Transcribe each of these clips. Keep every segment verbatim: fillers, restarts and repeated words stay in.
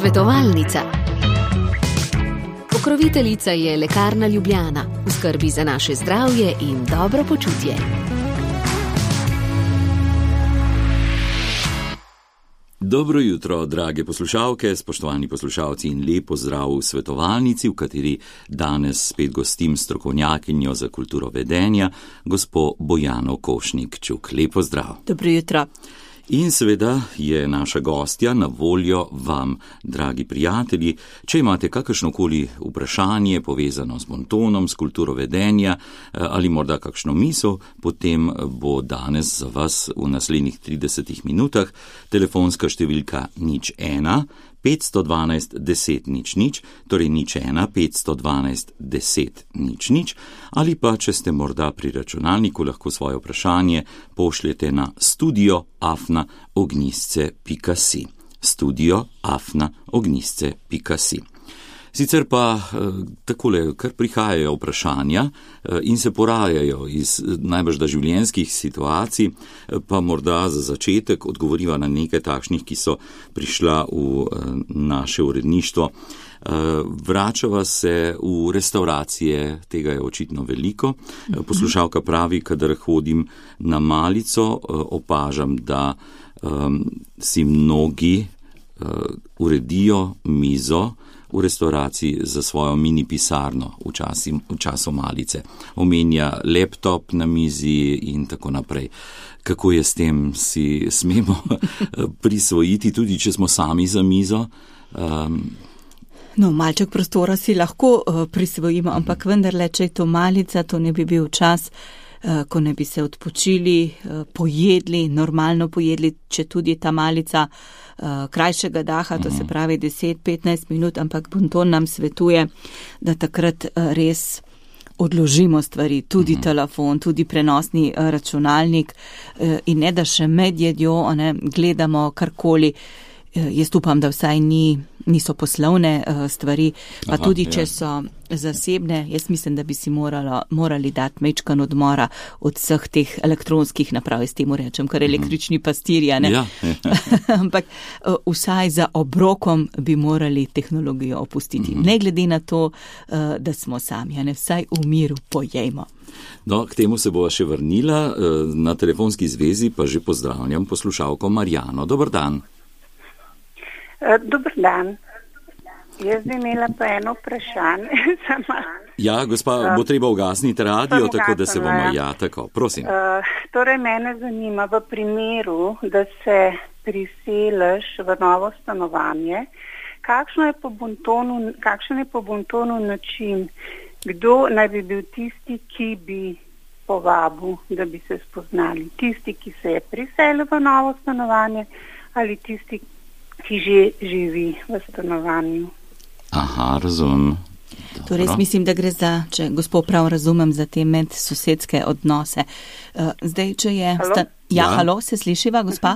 Svetovalnica. Pokroviteljica je Lekarna Ljubljana, v skrbi za naše zdravje in dobro počutje. Dobro jutro, drage poslušalke, spoštovani poslušalci in lep pozdrav v svetovalnici, v kateri danes spet gostim strokovnjakinjo za kulturo vedenja, gospo Bojano Košnik-Čuk. Lep pozdrav. Dobro jutro. In seveda je naša gostja na voljo vam, dragi prijatelji. Če imate kakršnokoli vprašanje povezano s bontonom, s kulturo vedenja ali morda kakšno misel, potem bo danes za vas v naslednjih tridesetih minutah telefonska številka nič ena petsto dvanajst deset nič nič, torej nič ena petsto dvanajst deset nič nič, ali pa, če ste morda pri računalniku, lahko svoje vprašanje pošljete na studio afna ognjisce pika si. Studio afna ognjisce pika si. Sicer pa takole, kar prihajajo vprašanja in se porajajo iz najbrž da življenjskih situacij, pa morda za začetek odgovoriva na nekaj takšnih, ki so prišla v naše uredništvo. Vračava se v restauracije, tega je očitno veliko. Poslušalka pravi, kadar hodim na malico, opažam, da um, si mnogi uh, uredijo mizo v restauraciji za svojo mini pisarno v, časi, v času malice. Omenja laptop na mizi in tako naprej. Kako je s tem, si smemo prisvojiti, tudi če smo sami za mizo? Um, No, malček prostora si lahko uh, prisvojimo, ampak vendarle, če je to malica, to ne bi bil čas, uh, ko ne bi se odpočili, uh, pojedli, normalno pojedli, če tudi ta malica uh, krajšega daha, to se pravi deset do petnajst minut, ampak bonton nam svetuje, da takrat uh, res odložimo stvari, tudi mm-hmm. telefon, tudi prenosni uh, računalnik uh, in ne da še med jedjo, ne, gledamo karkoli. Uh, jaz upam, da vsaj ni. niso poslovne uh, stvari, pa Aha, tudi, če ja. so zasebne, jaz mislim, da bi si moralo, morali dati mečkan odmora od vseh teh elektronskih naprav, s temu rečem, kar električni pastirja, ne? Ja. Ampak uh, vsaj za obrokom bi morali tehnologijo opustiti. Mm-hmm. Ne glede na to, uh, da smo sami, ne? Vsaj v miru pojejmo. No, k temu se bova še vrnila, uh, na telefonski zvezi pa že pozdravljam poslušalko Marjano. Dobar dan. Dobar dan. Jaz bi imela pa eno vprašanje. Ja, gospa, bo treba ugasniti radio, tako da se bomo, ja, tako, prosim. Uh, torej, mene zanima, v primeru, da se priseliš v novo stanovanje, kakšno je po bontonu, kakšen je po bontonu način, kdo naj bi bil tisti, ki bi povabil, da bi se spoznali? Tisti, ki se je priselil v novo stanovanje, ali tisti, ki že živi v stanovanju. Aha, razumem. Torej, mislim, da gre za, če gospod prav razumem, za te medsosedske odnose. Uh, zdaj, če je... Halo? Sta... Ja, Ja. halo, se slišiva, gospa?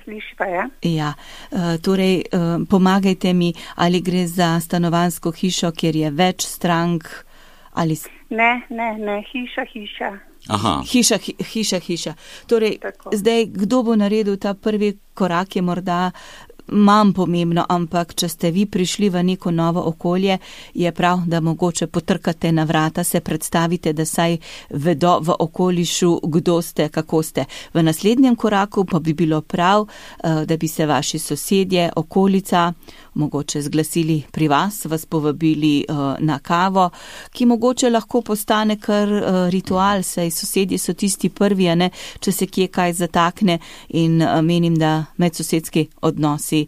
Slišiva, ja? Ja, uh, torej, uh, pomagajte mi, ali gre za stanovanjsko hišo, kjer je več strank, ali... Ne, ne, ne, hiša, hiša. Aha. Hiša, hi, hiša, hiša. Torej, Tako. zdaj, kdo bo naredil ta prvi korak, je morda manj pomembno, ampak če ste vi prišli v neko novo okolje, je prav, da mogoče potrkate na vrata, se predstavite, da saj vedo v okolišu, kdo ste, kako ste. V naslednjem koraku pa bi bilo prav, da bi se vaši sosedje, okolica, mogoče zglasili pri vas, vas povabili na kavo, ki mogoče lahko postane kar ritual, saj sosedje so tisti prvi, a ne, če se kje kaj zatakne, in menim, da medsosedski odnosi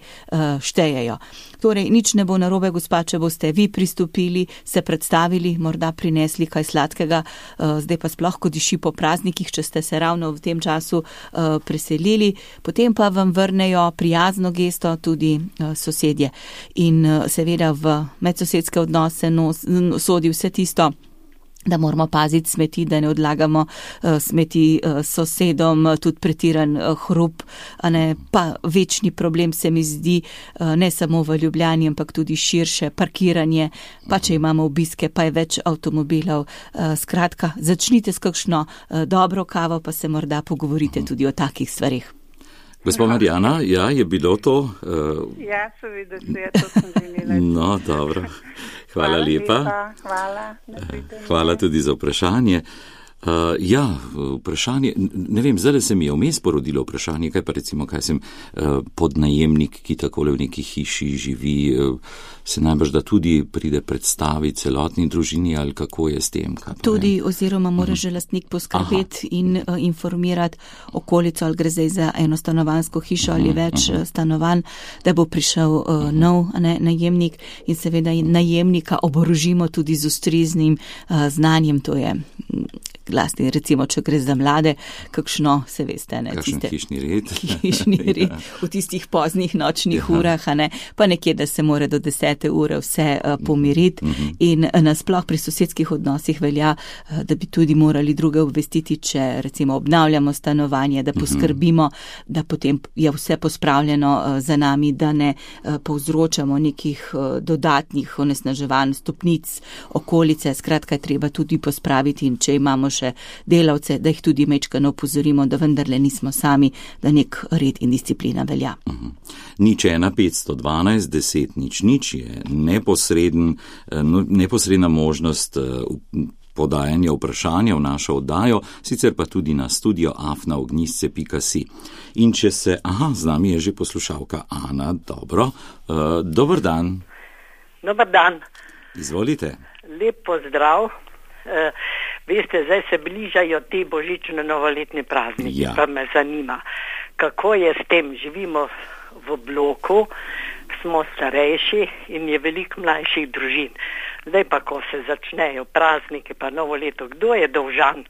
štejejo. Torej, nič ne bo narobe, gospa, če boste vi pristopili, se predstavili, morda prinesli kaj sladkega, zdaj pa sploh, ko diši po praznikih, če ste se ravno v tem času preselili, potem pa vam vrnejo prijazno gesto tudi sosedje. In seveda v medsosedske odnose nos, sodi vse tisto, da moramo paziti smeti, da ne odlagamo uh, smeti uh, sosedom, uh, tudi pretiran uh, hrup, a ne, pa večni problem se mi zdi uh, ne samo v Ljubljani, ampak tudi širše parkiranje, pa če imamo obiske, pa je več avtomobilov. Uh, skratka, začnite s kakšno uh, dobro kavo, pa se morda pogovorite tudi o takih stvarih. Gospa Marjana, ja, je bilo to? Uh... Ja, seveda se je, to sem želela. No, dobro. Hvala, hvala lepa. lepa. Hvala. Hvala tudi za vprašanje. Uh, ja, vprašanje, ne vem, zdaj se mi je vmes porodilo vprašanje, kaj pa recimo, kaj sem uh, podnajemnik, ki takole v neki hiši živi, uh, se najbrž da tudi pride predstaviti celotni družini ali kako je s tem? Tudi vem? Oziroma mora že lastnik poskrbeti in uh, informirati okolico, ali gre zdaj za eno stanovanjsko hišo ali več uh, stanovanj, da bo prišel uh, nov ne, najemnik in seveda najemnika oborožimo tudi z ustreznim uh, znanjem, to je glasni, recimo, če gre za mlade, kakšno, se veste, ne, kakšen tiste, hišni red, hišni red ja. V tistih poznih nočnih ja. urah, a ne, pa nekje, da se mora do desete ure vse uh, pomiriti mm-hmm. in uh, nasploh pri sosedskih odnosih velja, uh, da bi tudi morali druge obvestiti, če recimo obnavljamo stanovanje, da poskrbimo, mm-hmm. da potem je vse pospravljeno uh, za nami, da ne uh, povzročamo nekih uh, dodatnih onesnaževanj, stopnic, okolice, skratka je treba tudi pospraviti in če imamo še delavce, da jih tudi mečkano opozorimo, da vendarle nismo sami, da nek red in disciplina velja. Uh-huh. Nič ena petsto dvanajst deset nič nič je neposreden, neposredna možnost podajanja vprašanja v našo oddajo, sicer pa tudi na studio afna ognjisce pika si. In če se, aha, z nami je že poslušalka Ana, dobro, uh, dober dan. Dobar dan. Izvolite. Lep pozdrav. Uh, Veste, zdaj se bližajo te božične novoletne prazniki, ja. Pa me zanima, kako je s tem. Živimo v bloku, smo starejši in je veliko mlajših družin. Zdaj pa, ko se začnejo prazniki pa novo leto, kdo je dolžan,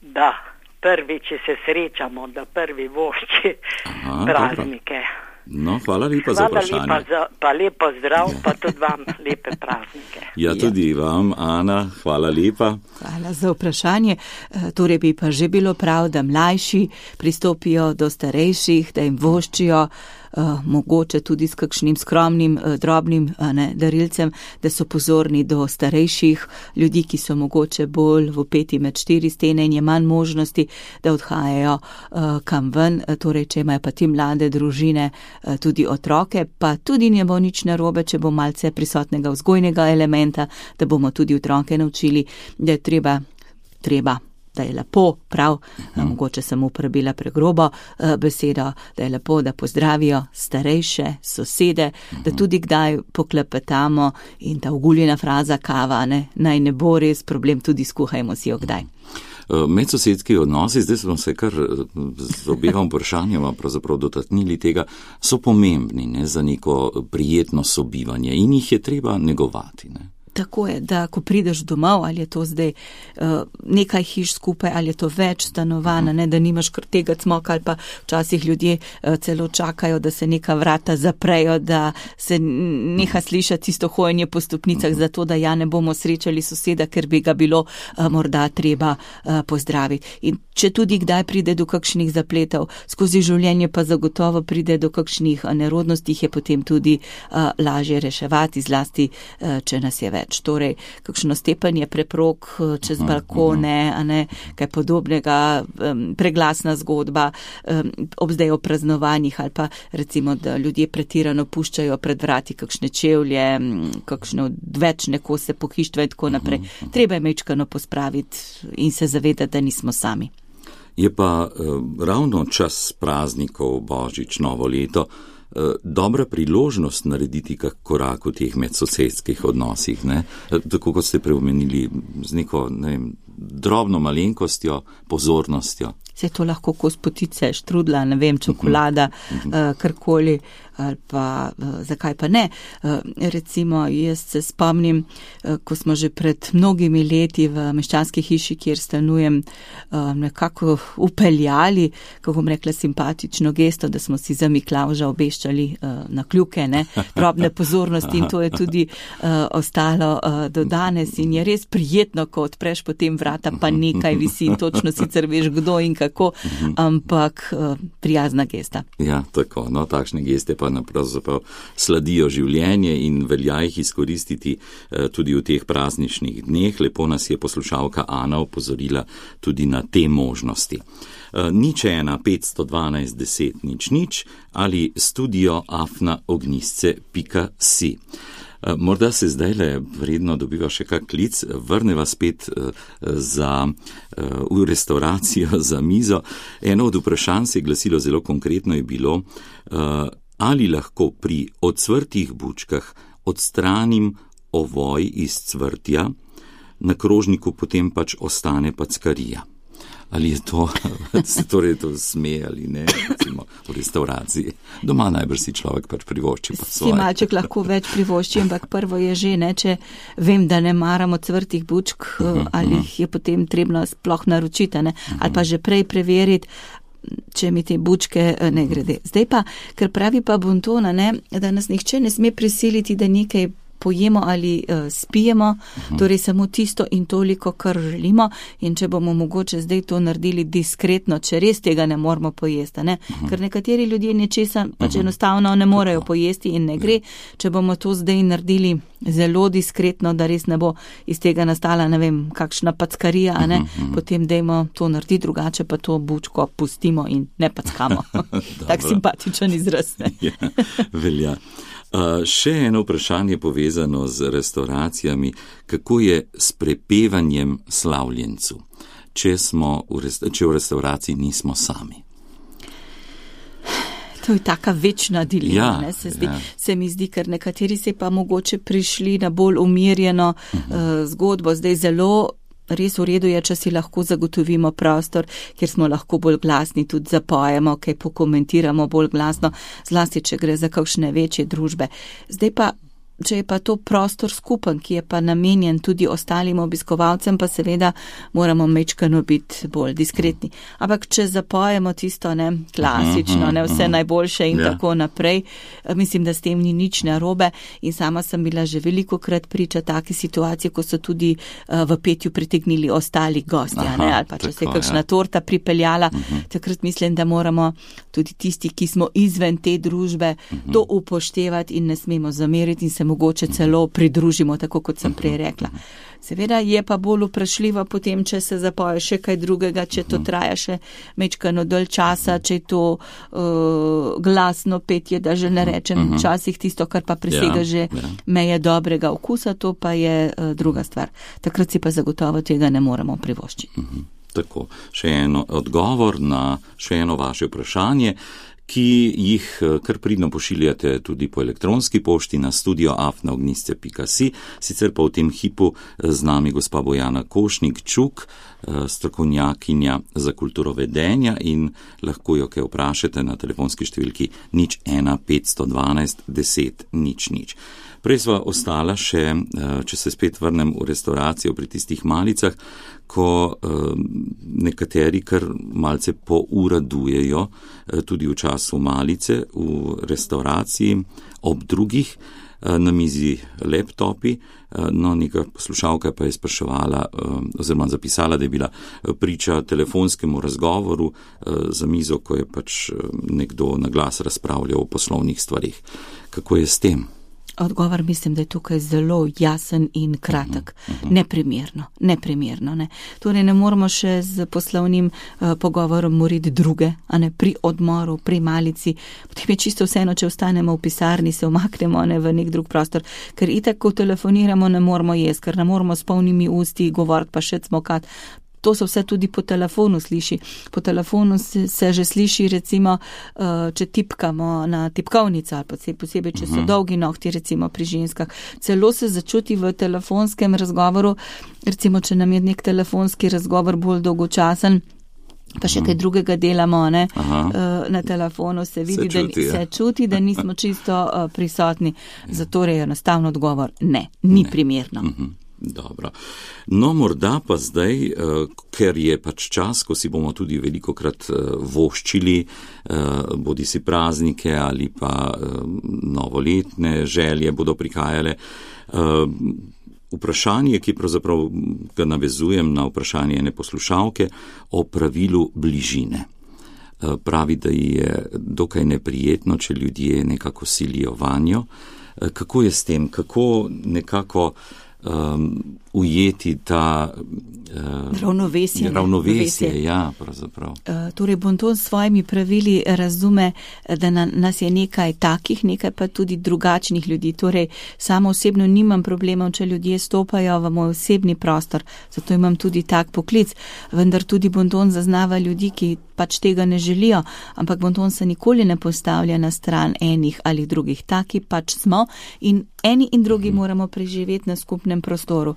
da prvi, če se srečamo, da prvi vošči Aha, praznike. Dobro. No, hvala lepa za vprašanje. Hvala lepa za, pa lepo zdrav, pa tudi vam lepe praznike. Ja, tudi vam, Ana, hvala lepa. Hvala za vprašanje. Torej bi pa že bilo prav, da mlajši pristopijo do starejših, da jim voščijo, Uh, mogoče tudi s kakšnim skromnim, uh, drobnim uh, ne, darilcem, da so pozorni do starejših ljudi, ki so mogoče bolj vpeti med štiri stene in je manj možnosti, da odhajajo uh, kam ven. Uh, torej, če imajo pa ti mlade družine uh, tudi otroke, pa tudi ne bo nič narobe, če bo malce prisotnega vzgojnega elementa, da bomo tudi otroke naučili, da je treba, treba. da je lepo, prav, uh-huh. mogoče sem uporabila pregrobo uh, besedo, da je lepo, da pozdravijo starejše sosede, uh-huh. da tudi kdaj poklepetamo in ta oguljena fraza kava, ne, naj ne bo res problem, tudi skuhajmo si jo kdaj. Medsosedski odnosi, zdaj smo se kar z obema vprašanjama pravzaprav dotaknili tega, so pomembni, ne, za neko prijetno sobivanje in jih je treba negovati, ne. Tako je, da ko prideš domov, ali je to zdaj uh, nekaj hiš skupaj, ali je to več stanovana, ne, da nimaš kar tega cmoka, ali pa včasih ljudje uh, celo čakajo, da se neka vrata zaprejo, da se neha slišati tisto hojenje po stopnicah, zato da ja ne bomo srečali soseda, ker bi ga bilo uh, morda treba uh, pozdraviti. In če tudi kdaj pride do kakšnih zapletov, skozi življenje pa zagotovo pride do kakšnih nerodnosti, je potem tudi uh, lažje reševati, zlasti uh, če nas je več. Torej, kakšno stepanje preprog čez balkone, a ne, kaj podobnega, um, preglasna zgodba, um, ob zdaj o praznovanjih ali pa recimo, da ljudje pretirano puščajo pred vrati kakšne čevlje, kakšne odvečne kose pohištva in tako naprej. Treba je mečkano pospraviti in se zavedati, da nismo sami. Je pa uh, ravno čas praznikov, Božič, novo leto, dobra priložnost narediti kak korak v teh medsosedskih odnosih, ne? Tako kot ste preomenili, z neko, ne vem, drobno malenkostjo, pozornostjo. Se to lahko kos potice, štrudla, ne vem, čokolada, uh-huh. uh, karkoli, ali pa uh, zakaj pa ne. Uh, recimo, jaz se spomnim, uh, ko smo že pred mnogimi leti v meščanski hiši, kjer stanujem, uh, nekako upeljali, kako bom rekla, simpatično gesto, da smo si za Miklavža obeščali uh, na kljuke, ne, drobne pozornosti in to je tudi uh, ostalo uh, do danes in je res prijetno, ko odpreš potem vrata, pa nekaj visi in točno sicer veš, kdo in kako tako, uh-huh. ampak uh, prijazna gesta. Ja, tako, no, takšne geste pa napravzaprav sladijo življenje in velja jih izkoristiti uh, tudi v teh prazničnih dneh. Lepo nas je poslušalka Ana opozorila tudi na te možnosti. Uh, nič ena petsto dvanajst deset nič nič ali studio afna ognjisce pika si. Morda se zdaj le vredno dobiva še kak klic, vrneva spet za, v restauracijo za mizo. Eno od vprašanj se je glasilo zelo konkretno, je bilo, ali lahko pri odsvrtih bučkah odstranim ovoj iz cvrtja, na krožniku potem pač ostane packarija. Ali je to, se torej to sme ali ne, recimo v restauraciji. Doma najbrž si človek pač privošči pa svoje. Si malček lahko več privošči, ampak prvo je že, ne, če vem, da ne maramo cvrtih bučk, uh-huh, ali jih je potem trebno sploh naročiti, ne, uh-huh. ali pa že prej preveriti, če mi te bučke ne grede. Zdaj pa, ker pravi pa Bontona, ne, da nas nihče ne sme prisiliti, da nekaj pojemo ali uh, spijemo, uh-huh. torej samo tisto in toliko, kar želimo, in če bomo mogoče zdaj to naredili diskretno, če res tega ne moramo pojesti, ne? Uh-huh. Ker nekateri ljudje nečesa pač uh-huh. enostavno ne morejo Tako. pojesti in ne gre, če bomo to zdaj naredili zelo diskretno, da res ne bo iz tega nastala, ne vem, kakšna packarija, uh-huh. ne? Potem dajmo to narediti drugače, pa to bučko pustimo in ne packamo. Tak simpatičen izraz. Ja, velja. Uh, še eno vprašanje povezano z restauracijami, kako je s prepevanjem slavljencu, če, smo v resta- če v restauraciji nismo sami. To je taka večna dilema, ja, ne, se, zdi, ja. se mi zdi, ker nekateri se pa mogoče prišli na bolj umirjeno uh-huh. uh, zgodbo, zdaj zelo res v redu je, če si lahko zagotovimo prostor, kjer smo lahko bolj glasni, tudi zapojemo, kaj pokomentiramo bolj glasno, zlasti, če gre za kakšne večje družbe. Zdaj pa, če je pa to prostor skupen, ki je pa namenjen tudi ostalim obiskovalcem, pa seveda moramo mečkano biti bolj diskretni. Ampak če zapojemo tisto, ne, klasično, ne, vse najboljše in yeah. tako naprej, mislim, da s tem ni nič narobe in sama sem bila že veliko krat priča take situacije, ko so tudi uh, v petju pritegnili ostali gostja, Aha, ne, ali pa če tako, se je kakšna ja. torta pripeljala, uh-huh. takrat mislim, da moramo tudi tisti, ki smo izven te družbe, uh-huh. to upoštevati in ne smemo zameriti in se mogoče celo pridružimo, tako kot sem prej rekla. Seveda je pa bolj vprašljivo potem, če se zapoje še kaj drugega, če to traja še mečkano dalj časa, če je to uh, glasno petje, da že ne rečem včasih tisto, kar pa presega ja, že ja. meje dobrega okusa, to pa je uh, druga stvar. Takrat si pa zagotovo tega ne moremo privoščiti. Mhm. Tako, še eno odgovor na še eno vaše vprašanje, ki jih kar pridno pošiljate tudi po elektronski pošti na studio afna ognjisce pika si, sicer pa v tem hipu z nami gospa Bojana Košnik-Čuk, strokovnjakinja za kulturo vedenja in lahko jo kaj vprašate na telefonski številki nič ena petsto dvanajst deset nič nič. Prej sva ostala še, če se spet vrnem v restauracijo pri tistih malicah, ko nekateri kar malce pouradujejo tudi v času malice v restauraciji, ob drugih na mizi laptopi, no neka poslušalka pa je spraševala oziroma zapisala, da je bila priča telefonskemu razgovoru za mizo, ko je pač nekdo na glas razpravljal o poslovnih stvarih. Kako je s tem? Odgovor mislim, da je tukaj zelo jasen in kratek. Uh-huh, uh-huh. Neprimerno, neprimerno. Ne. Torej ne moramo še z poslovnim uh, pogovorom moriti druge, a ne pri odmoru, pri malici. Potem je čisto vseeno, če ostanemo v pisarni, se umaknemo ne, v nek drug prostor, ker itak, ko telefoniramo, ne moramo jesti, ker ne moramo s polnimi usti govoriti pa še cmokat. To se vse tudi po telefonu sliši. Po telefonu se, se že sliši, recimo, če tipkamo na tipkovnico, ali posebej, če so dolgi nohti, recimo pri ženskah. Celo se začuti v telefonskem razgovoru, recimo, če nam je nek telefonski razgovor bolj dolgočasen, pa še kaj drugega delamo, ne, na telefonu, se vidi, se čuti, da, se čuti, da nismo čisto prisotni. Zato je enostavno odgovor ne, ni ne. primerno. Mhm. Dobro. No, morda pa zdaj, ker je pač čas, ko si bomo tudi velikokrat voščili, bodi si praznike ali pa novoletne želje bodo prihajale, vprašanje, ki pravzaprav ga navezujem na vprašanje ene poslušalke o pravilu bližine. Pravi, da je dokaj neprijetno, če ljudje nekako silijo vanjo. Kako je s tem? Kako nekako um, ujeti ta uh, ravnovesje? Ravnovesje, ja, pravzaprav. Uh, torej, bonton s svojimi pravili razume, da na, nas je nekaj takih, nekaj pa tudi drugačnih ljudi. Torej, samo osebno nimam problemov, če ljudje stopajo v moj osebni prostor, zato imam tudi tak poklic, vendar tudi bonton zaznava ljudi, ki pač tega ne želijo, ampak bonton se nikoli ne postavlja na stran enih ali drugih. Taki pač smo in eni in drugi hmm. moramo preživeti na skupnem prostoru.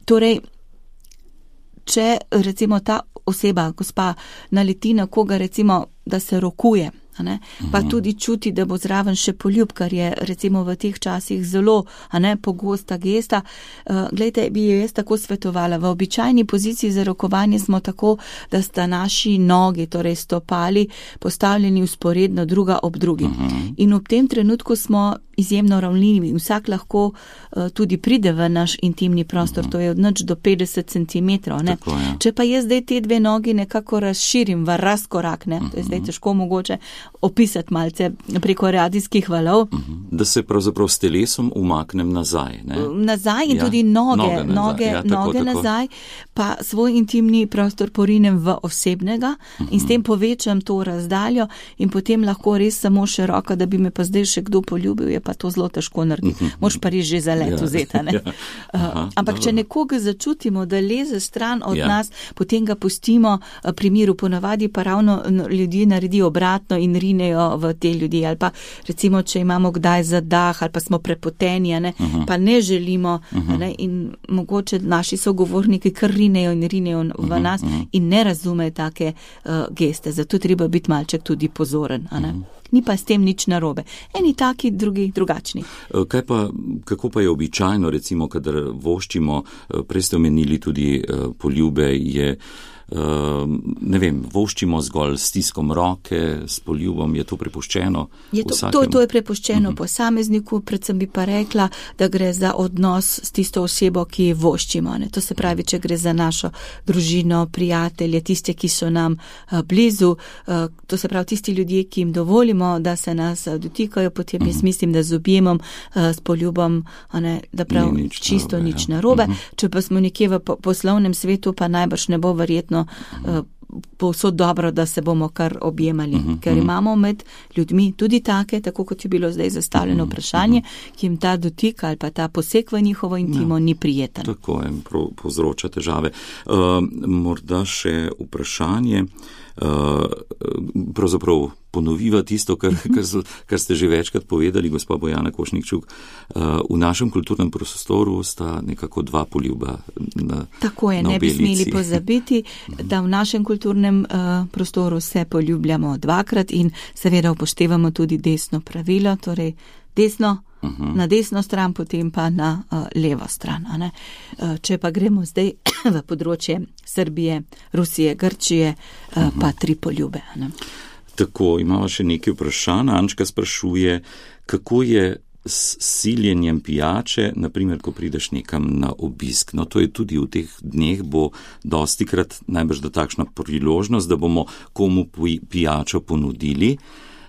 Torej, če recimo ta oseba, gospa, naleti na koga, recimo, da se rokuje, a ne, pa tudi čuti, da bo zraven še poljub, kar je recimo v teh časih zelo, a ne, pogosta gesta. Uh, glejte, bi jo jaz tako svetovala. V običajni poziciji za rokovanje smo tako, da sta naši nogi, torej stopali, postavljeni vzporedno druga ob drugi. In v tem trenutku smo izjemno ravnljivi. Vsak lahko uh, tudi pride v naš intimni prostor, to je od nič do petdeset centimetrov. Ne? Tako, ja. Če pa jaz zdaj te dve nogi nekako razširim v razkorak, ne? To je zdaj težko mogoče opisati malce preko radijskih valov. Da se pravzaprav s telesom umaknem nazaj. Ne? Nazaj in ja. tudi noge, noge nazaj, noge, ja, tako, noge tako. nazaj, pa svoj intimni prostor porinem v osebnega uh-huh. in s tem povečam to razdaljo in potem lahko res samo še roka, da bi me pa zdaj še kdo poljubil, je pa to zelo težko narediti. Uh-huh. Moš pa res že za let ja. vzeta. Ne? Ja. Aha, ampak dobro. Če nekoga začutimo, da leze stran od ja. nas, potem ga pustimo pri miru. Ponavadi pa ravno ljudje naredijo obratno in rinejo v te ljudi. Ali pa recimo, če imamo kdaj zadah ali pa smo prepoteni, ne, uh-huh. pa ne želimo uh-huh. ne, in mogoče naši sogovorniki kar rinejo in rinejo v uh-huh. nas uh-huh. in ne razumejo take uh, geste. Zato treba biti malček tudi pozoren. A ne? Uh-huh. Ni pa s tem nič narobe. Eni taki, drugi drugačni. Kaj pa, kako pa je običajno, recimo, kadar voščimo, prej ste omenili tudi uh, poljube, je Uh, ne vem, voščimo zgolj s stiskom roke, s poljubom, je to prepuščeno je to, to, to je prepuščeno uh-huh. posamezniku, predvsem bi pa rekla, da gre za odnos s tisto osebo, ki voščimo. Ne? To se pravi, če gre za našo družino, prijatelje, tiste, ki so nam uh, blizu, uh, to se pravi tisti ljudje, ki jim dovolimo, da se nas uh, dotikajo, potem uh-huh. jaz mislim, da z objemom, uh, s poljubom, ne, da prav nič čisto narobe, nič narobe. Uh-huh. Če pa smo nekje v po- poslovnem svetu, pa najbrž ne bo verjetno Uh, povsod dobro, da se bomo kar objemali, uh-huh, ker imamo med ljudmi tudi take, tako kot je bilo zdaj zastavljeno vprašanje, uh-huh. ki jim ta dotik ali pa ta poseg v njihovo intimo ja, ni prijeten. Tako je, povzroča težave. Uh, morda še vprašanje, uh, pravzaprav ponoviva tisto, kar, kar, kar ste že večkrat povedali, gospa Bojana Košnikčuk. Uh, v našem kulturnem prostoru sta nekako dva poljuba na Tako je, na ne bi smeli pozabiti, da v našem kulturnem uh, prostoru se poljubljamo dvakrat in seveda upoštevamo tudi desno pravilo, torej desno uh-huh. na desno stran, potem pa na uh, levo stran. A ne? Uh, če pa gremo zdaj v področje Srbije, Rusije, Grčije, uh, uh-huh. pa tri poljube. A ne? Tako, imamo še nekaj vprašanj. Ančka sprašuje, kako je s siljenjem pijače, naprimer, ko prideš nekam na obisk. No, to je tudi v teh dneh bo dostikrat najbrž da takšna priložnost, da bomo komu pijačo ponudili.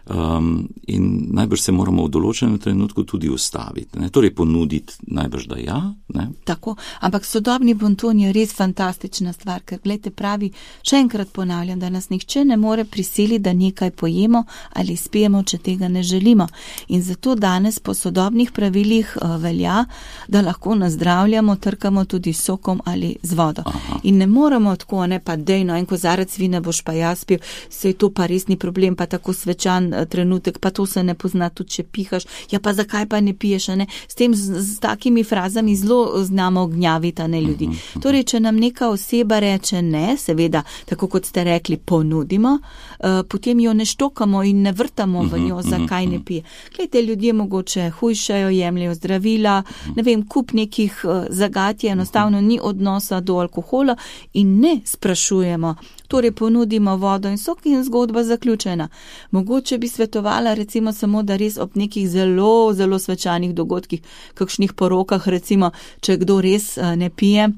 Um, in najbrž se moramo v določenem trenutku tudi ustaviti. Ne? Torej ponuditi najbrž da ja. Ne? Tako, ampak sodobni bonton je res fantastična stvar, ker gledajte pravi, še enkrat ponavljam, da nas nihče ne more prisiliti, da nekaj pojemo ali spijemo, če tega ne želimo. In zato danes po sodobnih pravilih uh, velja, da lahko nazdravljamo, trkamo tudi sokom ali z vodo. Aha. In ne moramo tako, ne pa dejno, en kozarec vina boš pa jaz pil, sej to pa res ni problem, pa tako svečan trenutek, pa to se ne pozna, tudi če pihaš, ja pa zakaj pa ne piješ, ne? S tem, z, z takimi frazami zelo znamo gnjaviti, ne, ljudi. Torej, če nam neka oseba reče ne, seveda, tako kot ste rekli, ponudimo, uh, potem jo ne štokamo in ne vrtamo v njo, zakaj ne pije. Glejte, ljudje mogoče hujšajo, jemljajo zdravila, ne vem, kup nekih uh, zagat je, enostavno ni odnosa do alkohola in ne sprašujemo Torej ponudimo vodo in sok in zgodba zaključena. Mogoče bi svetovala recimo samo, da res ob nekih zelo, zelo svečanih dogodkih, kakšnih porokah recimo, če kdo res ne pije,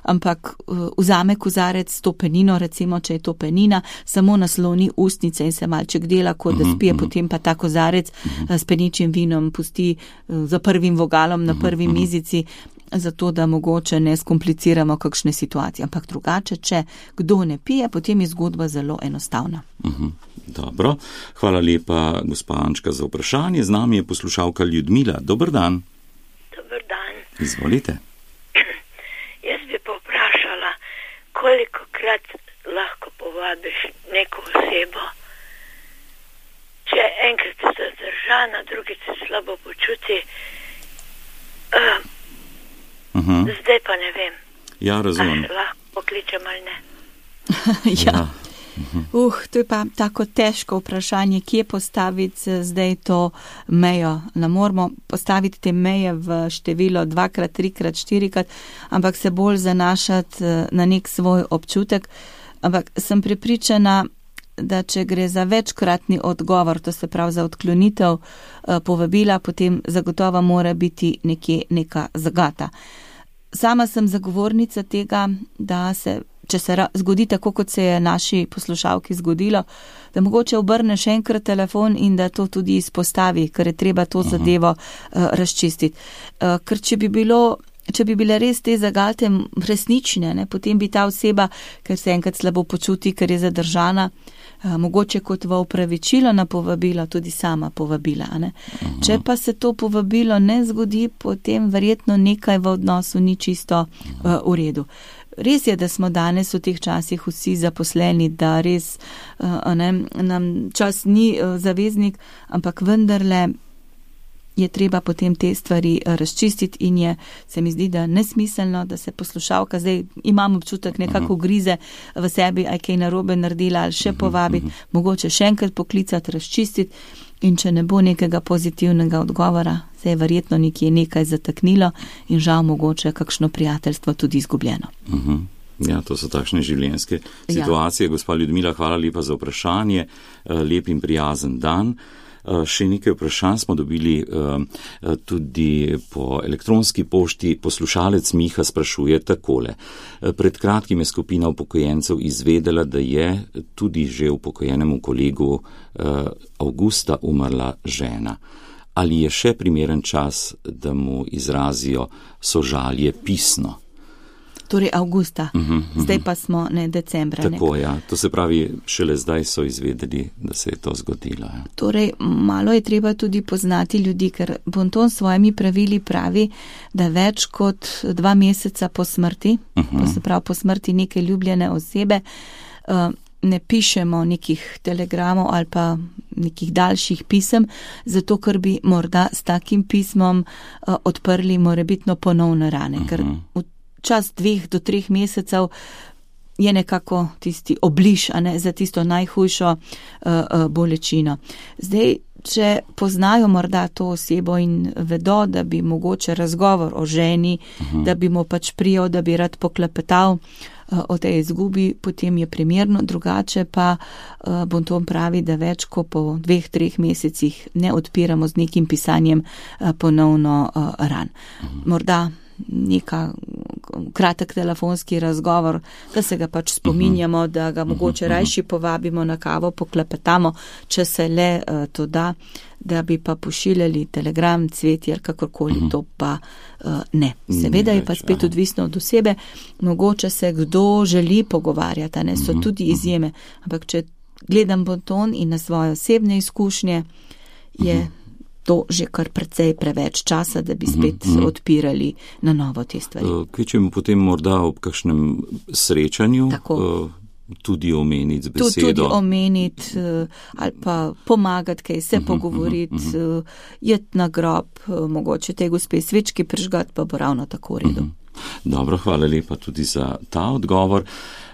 ampak vzame kozarec s to penino, recimo, če je to penina, samo nasloni ustnice in se malček dela, kot da spije, uh-huh. potem pa ta kozarec uh-huh. s peničim vinom pusti za prvim vogalom na prvi uh-huh. mizici, zato da mogoče ne skompliciramo kakšne situacije. Ampak drugače, če kdo ne pije, potem je zgodba zelo enostavna. Uh-huh. Dobro, hvala lepa, gospa Ančka, za vprašanje. Z nami je poslušalka Ljudmila. Dober dan. Dober dan. Izvolite. Jaz bi pa vprašala, koliko krat lahko povabiš neko osebo, če enkrat se zadržana, drugič se slabo počuti, uh, uh-huh. zdaj pa ne vem. Ja, razumem. Ali lahko pokličem ali ne. ja. ja. Uh, to je pa tako težko vprašanje, kje postaviti zdaj to mejo. Ne moramo postaviti te meje v število dvakrat, trikrat, štirikrat, ampak se bolj zanašati na nek svoj občutek. Ampak sem prepričana, da če gre za večkratni odgovor, to se pravi za odklonitev povabila, potem zagotovo mora biti nekje neka zagata. Sama sem zagovornica tega, da se če se zgodi tako, kot se je naši poslušalki zgodilo, da mogoče obrne še enkrat telefon in da to tudi izpostavi, ker je treba to Aha. zadevo uh, razčistiti. Uh, ker če bi bilo, če bi bile res te zagate resnične, ne, potem bi ta oseba, ker se enkrat slabo počuti, ker je zadržana, uh, mogoče kot v opravičilo na povabilo tudi sama povabila. Ne. Če pa se to povabilo ne zgodi, potem verjetno nekaj v odnosu ni čisto uh, v redu. Res je, da smo danes v teh časih vsi zaposleni, da res ne, nam čas ni zaveznik, ampak vendarle je treba potem te stvari razčistiti in je, se mi zdi, da nesmiselno, da se poslušalka, zdaj imam občutek nekako grize v sebi, aj kaj narobe naredila ali še povabiti, mogoče še enkrat poklicati, razčistiti in če ne bo nekega pozitivnega odgovora, se je verjetno nekje nekaj zataknilo in žal mogoče kakšno prijateljstvo tudi izgubljeno. Uh-huh. Ja, to so takšne življenjske situacije. Ja. Gospa Ljudmila, hvala lepa za vprašanje. Lep in prijazen dan. Še nekaj vprašanj smo dobili tudi po elektronski pošti. Poslušalec Miha sprašuje takole. Pred kratkim je skupina upokojencev izvedela, da je tudi že upokojenemu kolegu Avgusta umrla žena. Ali je še primeren čas, da mu izrazijo sožalje pisno? Torej avgusta, uh-huh, uh-huh. zdaj pa smo ne decembra. Tako, ja. To se pravi, šele zdaj so izvedeli, da se je to zgodilo. Ja. Torej, malo je treba tudi poznati ljudi, ker Bonton s svojimi pravili pravi, da več kot dva meseca po smrti, uh-huh. se pravi po smrti neke ljubljene osebe, uh, ne pišemo nekih telegramov ali pa nekih daljših pisem, zato ker bi morda s takim pismom uh, odprli morebitno ponovne rane, uh-huh. ker v čas dveh do treh mesecev je nekako tisti obliž, a ne, za tisto najhujšo uh, uh, bolečino. Zdaj, če poznajo morda to osebo in vedo, da bi mogoče razgovor o ženi, uh-huh. da bi mu pač prijel, da bi rad poklepetal uh, o tej izgubi, potem je primerno, drugače pa uh, Bonton pravi, da več kot po dveh, treh mesecih ne odpiramo z nekim pisanjem uh, ponovno uh, ran. Uh-huh. Morda neka kratek telefonski razgovor, da se ga pač spominjamo, da ga mogoče rajši povabimo na kavo, poklepetamo, če se le uh, to da, da bi pa pošiljali telegram, cvetje ali kakorkoli, to pa uh, ne. Seveda je pa spet odvisno od osebe, mogoče se kdo želi pogovarjati, ne, so tudi izjeme, ampak če gledam Bonton in na svoje osebne izkušnje, je to že kar precej preveč časa, da bi spet mm-hmm. odpirali na novo te stvari. Kvečemo potem morda ob kakšnem srečanju uh, tudi omeniti z besedo. Tudi omeniti uh, ali pa pomagati, kaj se mm-hmm, pogovoriti, mm-hmm. uh, jeti na grob, uh, mogoče te gospe svečki prižgati, pa bo ravno tako v redu. Mm-hmm. Dobro, hvala lepa tudi za ta odgovor.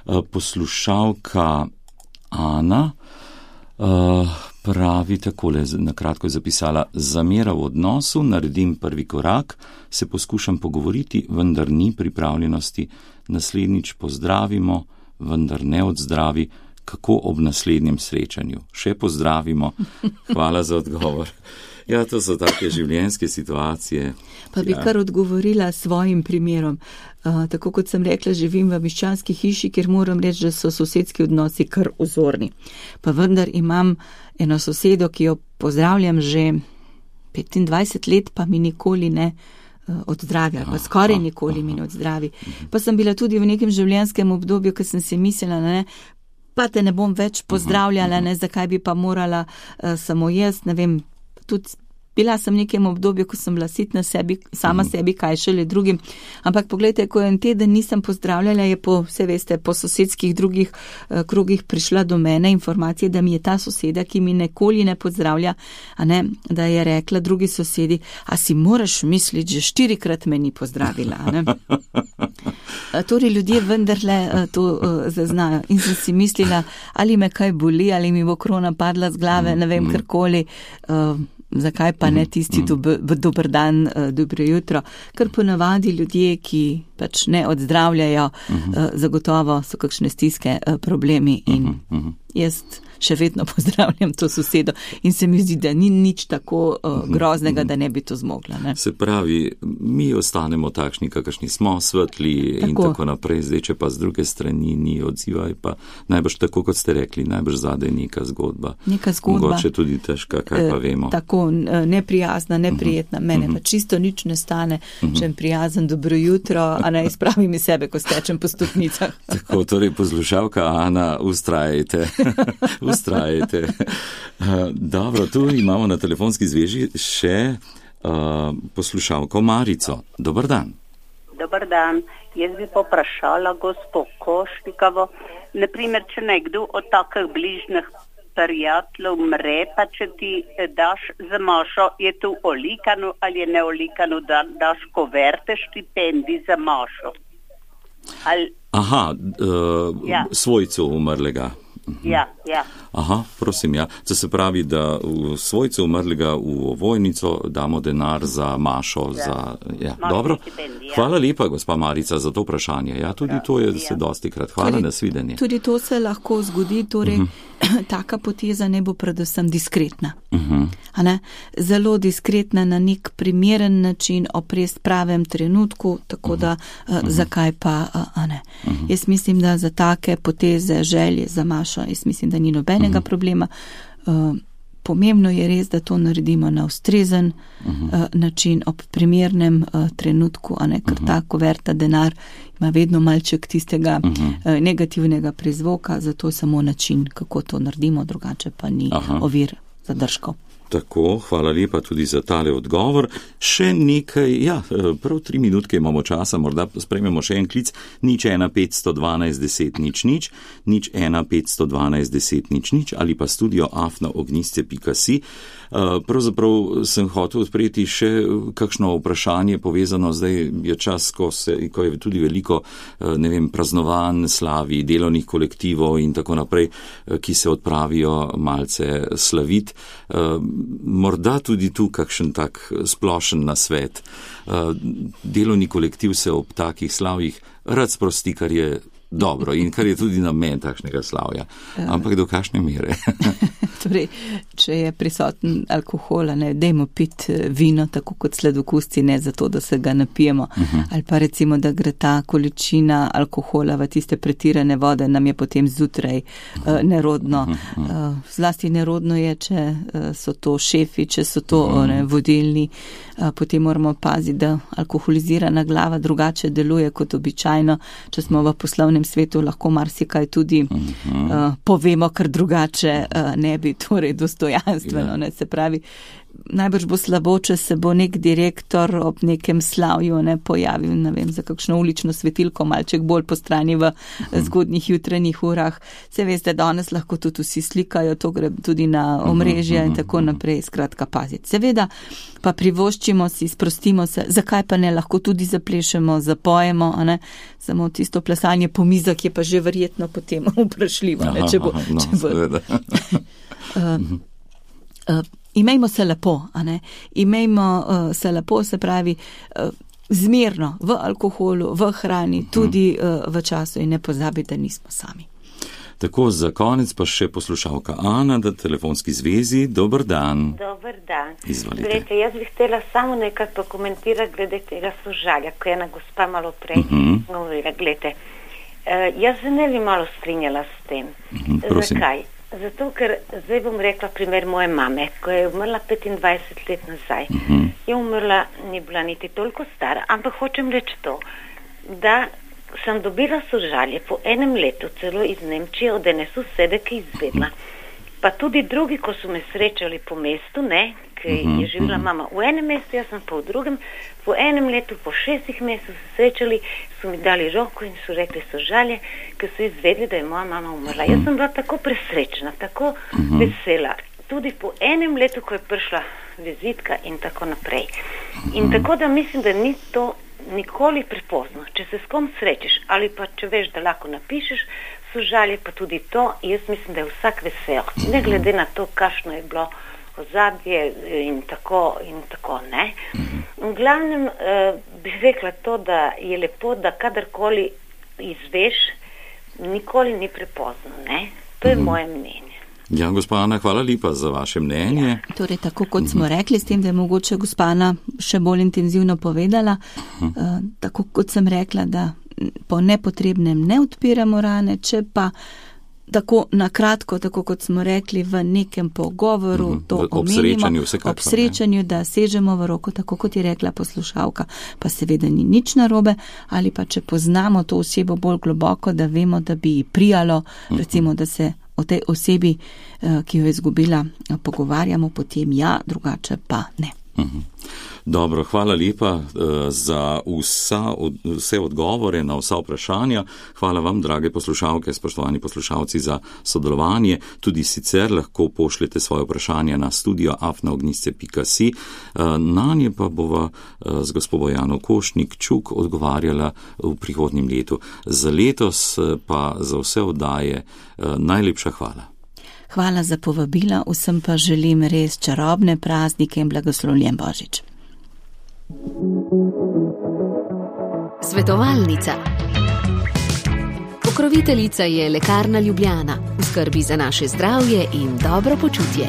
Uh, poslušalka Ana uh, pravi takole, na kratko je zapisala, zamera v odnosu, naredim prvi korak, se poskušam pogovoriti, vendar ni pripravljenosti, naslednjič pozdravimo, vendar ne odzdravi, kako ob naslednjem srečanju. Še pozdravimo. Hvala za odgovor. Ja, to so take življenjske situacije. Pa bi ja. kar odgovorila svojim primerom. Uh, tako kot sem rekla, živim v miščanski hiši, kjer moram reči, da so sosedski odnosi kar vzorni. Pa vendar imam eno sosedo, ki jo pozdravljam že petindvajset let, pa mi nikoli ne uh, odzdravi, pa skoraj nikoli mi ne odzdravi. Pa sem bila tudi v nekem življenjskem obdobju, ko sem si mislila, ne, pa te ne bom več pozdravljala, ne, zakaj bi pa morala uh, samo jaz, ne vem, tudi bila sem v nekem obdobju, ko sem bila sitna sebi, sama sebi, kaj šele drugim. Ampak pogledajte, ko en teden nisem pozdravljala, je po, vse veste, po sosedskih drugih uh, krogih prišla do mene informacija, da mi je ta soseda, ki mi nikoli ne pozdravlja, a ne, da je rekla drugi sosedi, a si moraš misliti, že štirikrat me ni pozdravila, a ne. Torej ljudje vendarle uh, to uh, zaznajo. In sem si mislila, ali me kaj boli, ali mi bo krona padla z glave, ne vem, karkoli. Uh, Zakaj pa ne tisti dober, dober dan, dobro jutro, ker ponavadi ljudje, ki pač ne odzdravljajo, uh-huh. zagotovo so kakšne stiske, problemi in uh-huh. jaz še vedno pozdravljam to sosedo in se mi zdi, da ni nič tako uh, groznega, da ne bi to zmogla. Ne? Se pravi, mi ostanemo takšni, kakršni smo, svetli tako. In tako naprej, zdaj, če pa z druge strani ni odzivaj, pa najbrž tako, kot ste rekli, najbrž zadaj neka zgodba. Neka zgodba. Mogoče tudi težka, kaj pa vemo. Tako, neprijazna, neprijetna, uh-huh. mene uh-huh. pa čisto nič ne stane, uh-huh. če je prijazen dobro jutro, a ne izpravim iz sebe, ko stečem po stopnicah. Tako, torej poslušalka Ana, ustrajajte. Ustrajajte. Dobro, tu imamo na telefonski zveži še uh, poslušalko Marico. Dobar dan. Dobar dan. Jaz bi poprašala gospo Koštikovo, naprimer, če nekdo od takih bližnjih prijateljev umre, pa če ti daš za mašo, je to olikano ali je neolikano, da daš koverte štipendij za mašo? Ali... Aha, uh, ja. svojcu umrlega. Ja, ja. Aha, prosim, ja. To se pravi, da v svojcu umrlega v ovojnico damo denar za mašo, ja. za... Ja, dobro. Hvala lepa, gospa Marica, za to vprašanje. Ja, tudi to je se dosti krat. Hvala, tudi, nasvidenje. Tudi to se lahko zgodi, torej uh-huh. taka poteza ne bo predvsem diskretna. Uh-huh. A ne? Zelo diskretna na nek primeren način, oprest pravem trenutku, tako uh-huh. da uh, uh-huh. zakaj pa, uh, a ne. Uh-huh. Jaz mislim, da za take poteze, želje za mašo, jaz mislim, da ni nobenega uh-huh. problema. Uh, pomembno je res, da to naredimo na ustrezen uh-huh. uh, način, ob primernem uh, trenutku, a ne, ker uh-huh. ta kuverta denar ima vedno malček tistega uh-huh. uh, negativnega prizvoka, zato samo način, kako to naredimo, drugače pa ni Aha. ovir zadržkov. Tako, hvala lepa tudi za tale odgovor. Še nekaj, ja, prav tri minutke imamo časa, morda sprejmemo še en klic, nič ena petsto dvanajst deset nič nič, nič ena petsto dvanajst deset nič nič ali pa studio afna ognjisce pika si. Pravzaprav sem hotel odpreti še kakšno vprašanje povezano, zdaj je čas, ko, se, ko je tudi veliko, ne vem, praznovanj, slavi, delovnih kolektivov in tako naprej, ki se odpravijo malce slavit. Morda tudi tu kakšen tak splošen nasvet. Delovni kolektiv se ob takih slavjih rad sprosti, kar je dobro in kar je tudi namen takšnega slavja. Ampak do kakšne mere? Torej, če je prisoten alkohol, ne, dajmo piti vino, tako kot sladokusci, ne zato, da se ga napijemo. Uh-huh. Ali pa recimo, da gre ta količina alkohola v tiste pretirane vode, nam je potem zjutraj uh, nerodno. Uh-huh. Uh, zlasti nerodno je, če uh, so to šefi, če so to uh-huh. ne, vodilni. Uh, potem moramo paziti, da alkoholizirana glava drugače deluje kot običajno. Če smo v poslovnem svetu, lahko marsikaj tudi uh-huh. uh, povemo, kar drugače uh, ne bi, torej dostojanstveno, ne, se pravi, najbrž bo slabo, če se bo nek direktor ob nekem slavju ne pojavil, ne vem, za kakšno ulično svetilko, malček bolj po strani v zgodnjih jutranjih urah. Se veste, danes lahko tudi vsi slikajo, to gre tudi na omrežje in tako naprej, skratka paziti. Seveda pa privoščimo si, sprostimo se, zakaj pa ne, lahko tudi zaplešemo, zapojemo, a ne, samo tisto plesanje po mizah je pa že verjetno potem vprašljivo, ne, če bo... No, če bo Uh, uh, imejmo se lepo, a ne? Imejmo uh, se lepo, se pravi, uh, zmerno v alkoholu, v hrani, tudi uh, v času in ne pozabite, da nismo sami. Tako, za konec pa še poslušalka Ana, da telefonski zvezi. Dober dan. Dober dan. Izvolite. Glede, jaz bi htela samo nekaj pokomentirati glede tega sožalja, ko je ena gospa malo prej uh-huh. govorila. Glede, uh, jaz se ne bi malo strinjala s tem. Uh-huh, Zakaj? Zato, ker zdaj bom rekla primer moje mame, ko je umrla petindvajset let nazaj. Uh-huh. Je umrla, ni bila niti toliko stara, ampak hočem reči to, da sem dobila sožalje po enem letu, celo iz Nemčije, od ene sosede, ki je izvedla. Pa tudi drugi, ko so me srečali po mestu, ne, ki je živela mama v enem mestu, jaz sem pa v drugem, po enem letu, po šestih mesecih se srečali, so mi dali roko in so rekli sožalje, ker so izvedli, da je moja mama umrla. Jaz sem bila tako presrečna, tako vesela. Tudi po enem letu, ko je prišla vizitka in tako naprej. In tako da mislim, da ni to nikoli prepozno, če se s kom srečeš ali pa če veš, da lahko napišeš sožalje, pa tudi to, jaz mislim, da je vsak vesel, ne glede na to, kakšno je bilo ozadje in tako in tako, ne. V glavnem eh, bi rekla to, da je lepo, da kadarkoli izveš, nikoli ni prepozno, ne. To je moje mnenje. Ja, gospa Ana, hvala lepa za vaše mnenje. Ja, torej, tako kot smo rekli, s tem, da je mogoče gospa Ana še bolj intenzivno povedala, uh, tako kot sem rekla, da po nepotrebnem ne odpiramo rane, če pa tako na kratko, tako kot smo rekli, v nekem pogovoru uh-huh. to ob omenimo, srečanju, vsekakor, ob srečanju, ne? Da sežemo v roko, tako kot je rekla poslušalka, pa seveda ni nič narobe, ali pa če poznamo to osebo bolj globoko, da vemo, da bi ji prijalo, uh-huh. recimo, da se o tej osebi, ki jo je izgubila, pogovarjamo, potem ja, drugače pa ne. Uh-huh. Dobro, hvala lepa uh, za vsa, od, vse odgovore na vsa vprašanja. Hvala vam, drage poslušalke, spoštovani poslušalci, za sodelovanje. Tudi sicer lahko pošljete svoje vprašanja na studio afna ognjišče pika si. Uh, na nje pa bova uh, z gospo Bojano Košnik-Čuk odgovarjala v prihodnjem letu. Za letos uh, pa za vse oddaje uh, najlepša hvala. Hvala za povabila, vsem pa želim res čarobne praznike in blagoslovljen Božič. Svetovalnica. Pokroviteljica je Lekarna Ljubljana, v skrbi za naše zdravje in dobro počutje.